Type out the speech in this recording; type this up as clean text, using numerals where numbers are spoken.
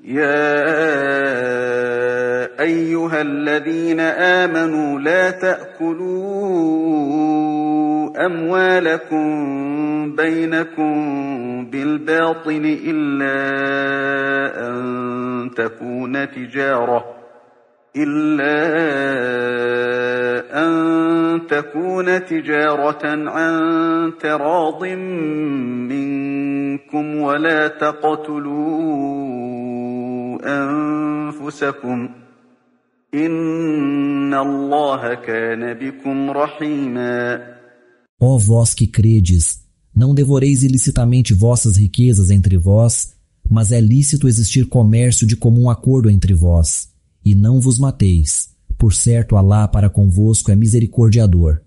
يا أيها الذين آمنوا لا تأكلوا أموالكم بينكم بالباطل إلا أن تكون تجارة عن تراض منكم ولا تقتلوا أنفسكم إن الله كان بكم رحيما. Ó vós que credes, não devoreis ilicitamente vossas riquezas entre vós, mas é lícito existir comércio de comum acordo entre vós, e não vos mateis. Por certo, Alá para convosco é misericordiador.